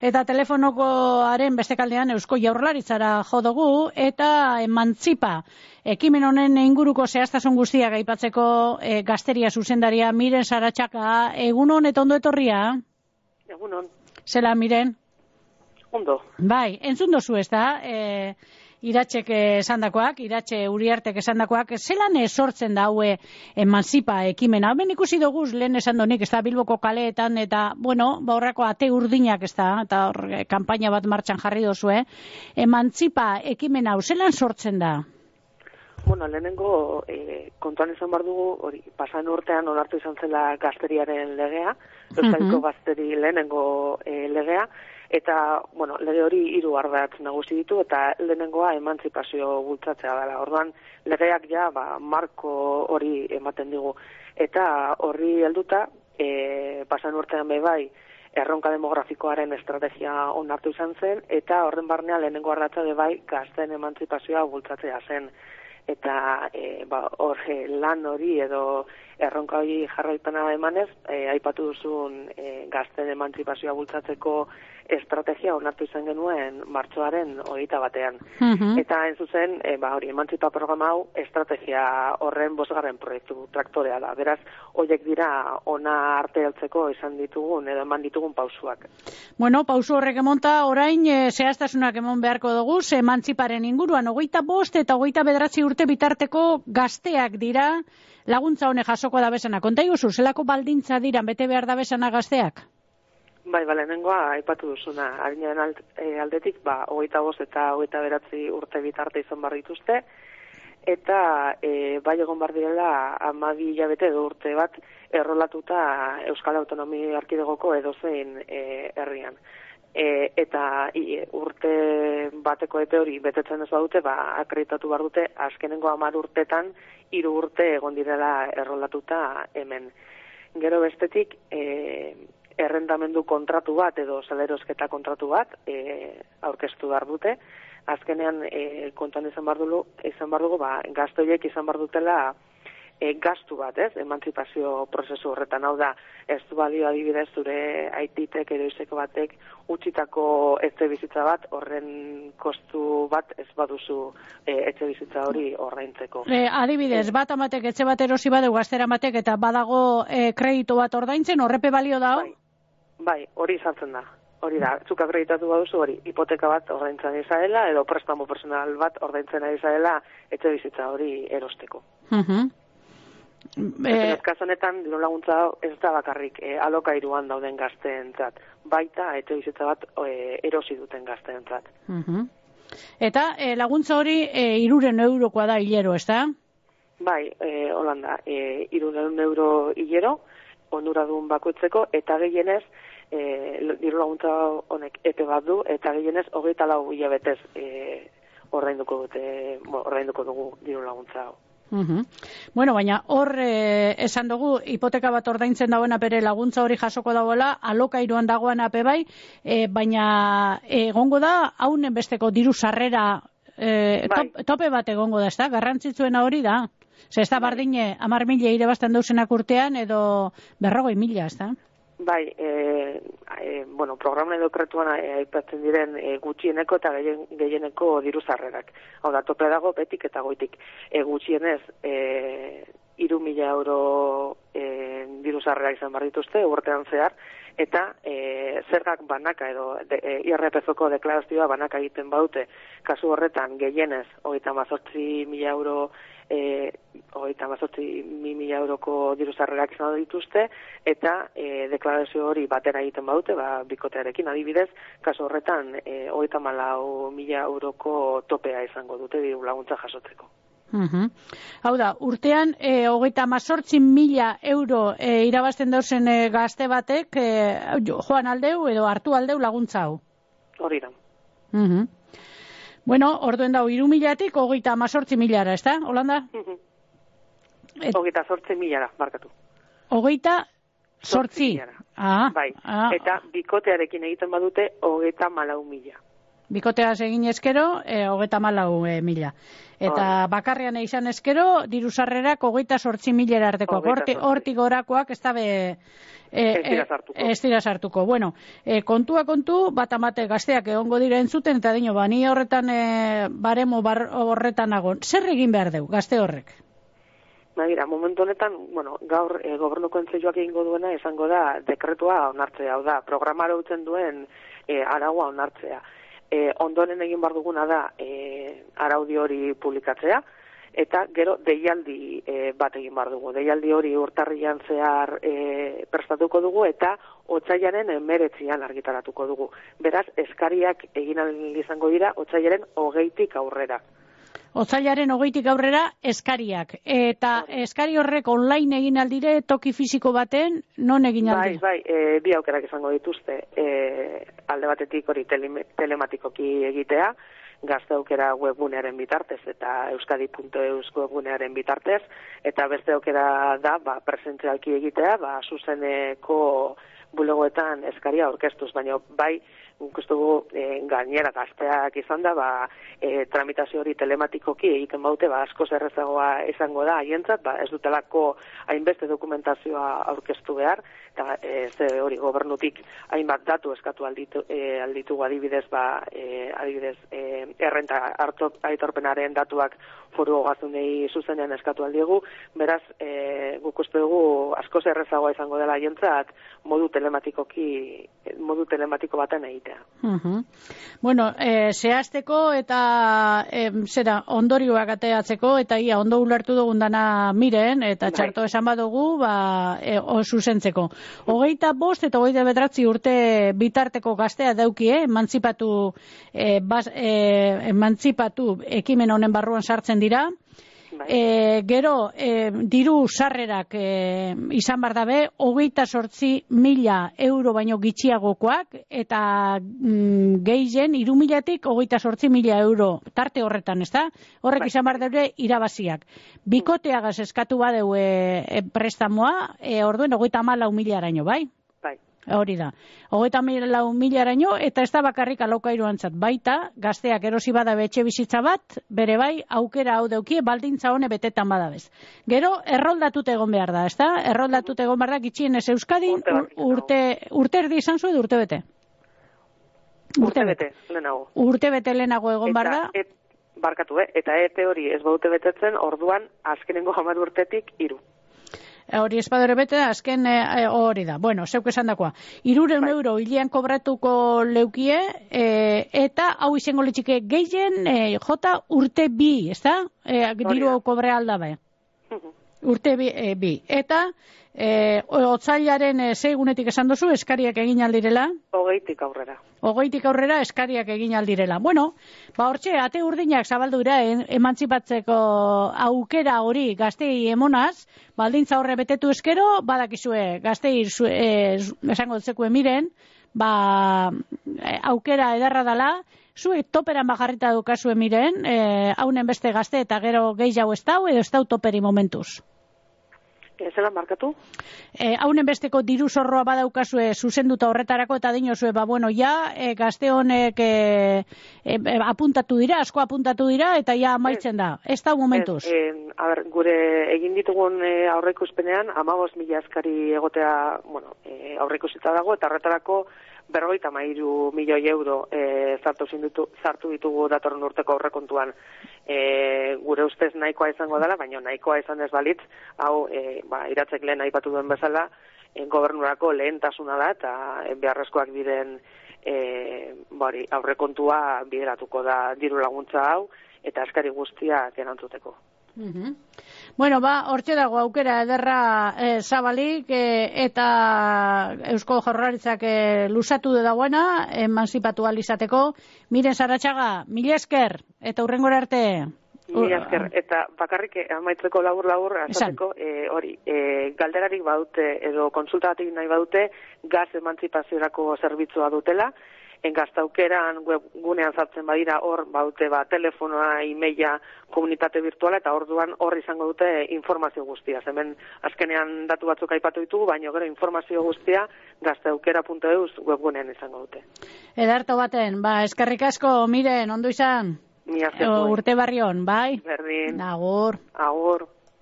Eta telefonokoaren beste kaldean Eusko Jaurlaritzara jo dugu eta Emantzipa ekimen honen inguruko zehaztasun guztiak aipatzeko Gazteria zuzendaria Miren Saratxaka. Egunon eta ondo etorria? Egunon. Zela, Miren? Ondo. Bai, entzun dozu ez da, Iratxek esandakoak, Iratxe Uriartek esandakoak, zelan sortzen da haue Emantzipa ekimena? Hemen ikusi dugu lehen esan donik, ez da Bilboko kaleetan, eta, bueno, horrako ate urdinak ez da, eta hor, kanpaina bat martxan jarri dozu, Emantzipa ekimena hau, zelan sortzen da? Bueno, lehenengo kontuan izan behar dugu, hori, pasan urtean onartu izan zela gazteriaren legea, Euskadiko gazteri lehenengo legea, eta, bueno, lege hori 3 ardatz nagusi ditu, eta lehenengoa emantzipazio bultzatzea dela. Orduan, legeak ja, marko hori ematen digu. Eta horri helduta, pasan urtean bai, erronka demografikoaren estrategia onartu izan zen, eta horren barnean lehenengo ardatza bai, gazteen emantzipazioa bultzatzea zen. Eta hor lan hori edo erronka hori jarraipena emanez, aipatu duzun gazteen emantzipazioa bultzatzeko estrategia onartu izan genuen martxoaren 21. Eta hain zuzen, hori Emantzipa programa hau estrategia horren 5. proiektu traktorea da. Beraz, horiek dira ona arte heltzeko izan ditugun edo eman ditugun pausuak. Bueno, pausu horrek emonta, orain zehaztasunak emon beharko dugu, Emantziparen inguruan 25 eta 29 urte bitarteko gazteak dira laguntza honek jasoko da bezana. Konta iguzu, zelako baldintza dira bete behar da bezana gazteak? Bai, lehenengoa aipatu duzuna, adinaren aldetik, 25 eta 29 urte bitarte izan behar dituzte, eta bai egon behar direla 12 hilabete edo urte bat errolatuta Euskal Autonomia Erkidegoko edozein herrian. Eta urte bateko epe hori betetzen ez badute, akreditatu behar dute azkenengo 10 urtetan 3 urte egon direla errolatuta hemen. Gero bestetik, errendamendu kontratu bat edo salerosketa kontratu bat aurkeztu behar dute. Azkenean kontuan izan behar dugu, gazte horiek izan behar dutela gastu bat, emantzipazio prozesu horretan. Hau da, ez du balio adibidez zure aititek edo izeko batek utzitako etxe bizitza bat, horren kostu bat ez baduzu etxe bizitza hori ordaintzeko. Adibidez, bat amatek etxe bat erosi badeu gaztera amatek eta badago kredito bat ordaintzen, horrepe balio da? Bai, hori izartzen da. Hori da, zuk akreditatu baduzu hori, hipoteka bat ordaintzen ari zaela, edo prestamo personal bat ordaintzen ari zaela etxe bizitza hori erosteko. Kasu honetan, diru laguntza ez da bakarrik alokairuan dauden gazteentzat, baita etxe bizitza bat erosi duten gazteentzat. Eta laguntza hori 300 eurokoa da hilero, ez da? Bai, Holanda, 300 euro hilero, onuradun bakoitzeko, eta gehienez, diru laguntza honek epe bat du, eta gehienez 24 hilabetez ordainduko dugu diru laguntza hau. Bueno, baina hor esan dugu, hipoteka bat ordaintzen dagoena bere laguntza hori jasoko dagoela, alokairuan dagoen ape bai, baina egongo da, haunen besteko diru sarrera tope bat egongo da, ez da? Garrantzitsuena hori da. Ez da bardine 10.000 irabazten dauzenak urtean edo 40.000, ez da? Bai, programen dekretuan aipatzen diren gutxieneko eta gehieneko diru sarrerak. Hau da, tope dago betik eta goitik. Gutxienez 3.000 euro diru sarrerak izan behar dituzte urtean zehar, eta zergak banaka edo IRPF-ko deklarazioa banaka egiten badute. Kasu horretan gehienez 38.000 euro 38.000 euroko diru sarrerak izan dituzte, eta deklarazio hori batera egiten badute, bikotearekin adibidez, kasu horretan 34.000 euroko topea izango dute diru laguntza jasotzeko. Hau da, urtean 38.000 euro irabazten dauzen gazte batek joan aldeu edo hartu aldeu laguntza hau. Hori da. Bueno, orduen dau 3.000-tik 38.000-ara, ez da, Holanda? 38.000-ara, markatu. 38.000. Bai, eta bikotearekin egiten badute 34.000. Bikoteaz egin eskero, 34.000. Eta bakarrean izan eskero, diru sarrerak 28.000 artekoak. Hortik gorakoak ez dabe ez dira sartuko. Bueno, kontua kontu, bat amate gazteak egongo dira entzuten, eta dino, ni horretan baremo horretan nago. Zer egin behar deu, gazte horrek? Mira, momentu honetan, gaur gobernuko entzeioak egingo duena izango da dekretua onartzea, hau da, programara utzen duen araua onartzea. Ondoren egin bar duguna da araudi hori publikatzea, eta gero deialdi bat egin bar dugu. Deialdi hori urtarrian zehar prestatuko dugu eta otsailaren 19an argitaratuko dugu. Beraz, eskariak egin ahal izango dira otsailaren 20tik aurrera. Otsailaren 20tik aurrera eskariak. Eta eskari horrek online egin aldire, toki fisiko baten, non egin aldire? Bai, bi aukerak izango dituzte. Alde batetik hori telematikoki egitea, Gazte Aukera webgunearen bitartez eta euskadi.eus webgunearen bitartez, eta beste aukera da presentzialki egitea, zuzeneko bulegoetan eskaria aurkeztuz, baina bai, ikustugu gainera gazteak izan da, tramitazio hori telematikoki egiten baute, askoz errezagoa izango da haientzat, ez dutelako hainbeste dokumentazioa aurkeztu behar, eta hori gobernutik hainbat datu eskatu alditugu adibidez, errenta aitorpenaren datuak foru ogazunei zuzenean eskatu aldiegu, beraz, guk uste dugu askoz errezagoa izango dela haientzat modu telematiko baten egitea. Bueno, zehazteko eta ondorioak ateatzeko, eta ondo ulertu dugun dana miren, eta txarto esan badugu, zuzentzeko. 25 eta 29 urte bitarteko gaztea daukie, emantzipatu ekimen honen barruan sartzen dira. Gero, diru sarrerak izan bar dabe, 28.000 euro baino gitxiagokoak, eta gehien 3.000tik 28.000 euro tarte horretan, ez da? Horrek izan bar dabe irabaziak. Bikoteagaz eskatu badeu prestamoa, orduen 34.000 araino, bai? Hori da. 34.000 araino, eta ez da bakarrik alokairuantzat, baita gazteak erosi badabe etxe bizitza bat, bere bai aukera hau daukie baldintza hone betetan badabez. Gero erroldatut egon behar da, ez da? Erroldatut egon behar da gitxienez Euskadin urte erdi izan zu edo urte bete? Urte bete, lehenago. Urte bete lehenago egon behar da? Barkatu, eta EPE hori ez baute betetzen, orduan azkenengo 10 urtetik 3. Hori espadore bete, azken hori da. Bueno, zeuk esan dakoa. 300 euro hilean kobratuko leukie, eta hau izango litxike gehien jota urte 2, ez da? Diru kobre aldabe. Urte 2. Eta otsailaren segunetik esan duzu, eskariak egin aldirela? 20tik aurrera. 20tik aurrera eskariak egin aldirela. Bueno, hortxe, ate urdinak zabaldu dira emantzipatzeko aukera hori gaztei emonaz, baldintza horre betetu eskero, badakizue gaztei esango dutzekue miren, aukera edarra dala, zuek toperan bajarrita dukazue miren, haunen beste gazte eta gero gehiago ez dau, edo ez dau toperi momentuz. Zelan markatu? Haunen besteko diru zorroa badaukazue zuzenduta horretarako, eta dinozue, gazte honek apuntatu dira, asko apuntatu dira, eta ja amaitzen da. Ez da momentuz? Gure egin ditugun aurreikuspenean, 15.000 eskari egotea aurreikusita dago, eta horretarako 53 milioi euro sartu ditugu datorren urteko aurrekontuan. Gure ustez nahikoa izango dela, baina nahikoa izan ez balitz, hau iratzek lehen aipatu duen bezala, gobernurako lehentasuna da, eta beharrezkoak diren aurrekontua bideratuko da diru laguntza hau, eta eskari guztiak erantzuteko. Bueno, hortxe dago aukera ederra zabalik, eta Eusko Jaurlaritzak luzatu dagoena, emantzipatu alizateko. Miren Saratxaga, mila esker, eta hurrengora arte. Mila esker, eta bakarrik amaitzeko labur azateko, galderarik badute, edo konsultatik nahi badute, gaz emantzipaziorako zerbitzua dutela, Gaztaukeran webgunean sartzen badira, hor baute telefonoa, e-maila, komunitate virtuala, eta orduan hor izango dute informazio guztia. Hemen azkenean datu batzuk aipatu ditugu, baina gero informazio guztia gaztaukera.eus webgunean izango dute. Ederto baten, eskerrik asko, Miren, ondo izan? Urte barri on, bai? Berdin. Agur. Agur.